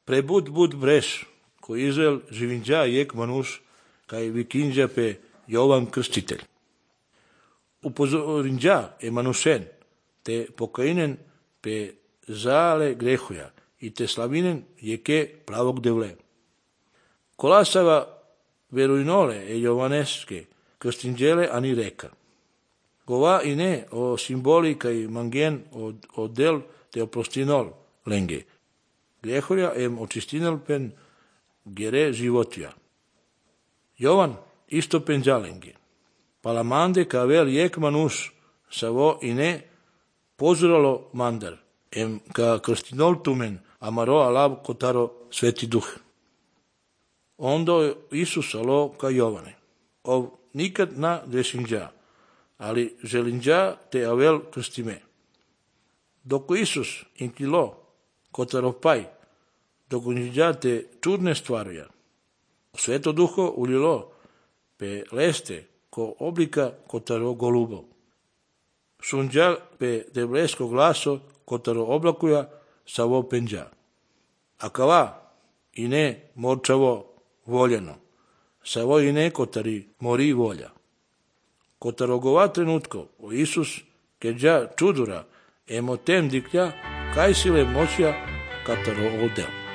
Prebud breš, ko Izrael živinđa jek manuš, kaj vikinđa pe Jovan Krstitelj. Upozorinđa je manušen, te pokainen pe zale grehuja, i te slavinen jeke plavog devle. Kolasava verujnole e Jovaneske, Krstinđele ani reka. Gova i ne o simboli kaj mangen od del te oprostinol lenge. Grehuja em očistinel pen gere životija. Jovan isto pen zalenge. Palamande kavel jek manuš savo i ne pozuralo mandar. Em ka krstinol tumen amaro alav kotaro sveti duh. Ondo Isus alo ka Jovane. Ov nikad na dešinđa, ali želinđa te avel krstime. Doko Isus intilo kotaro paj, doko njiđa te čudne stvaruja. Sveto duho ulilo pe leste ko oblika kotaro golubo. Sunđa pe devlesko glaso kotaro oblakuja savo penđa. A kava i ne morčavo voljeno, savo i ne kotari mori volja. Kotaro gova trenutko o Isus keđa čudura emo tem diklja kaj sile moćja kataro odel.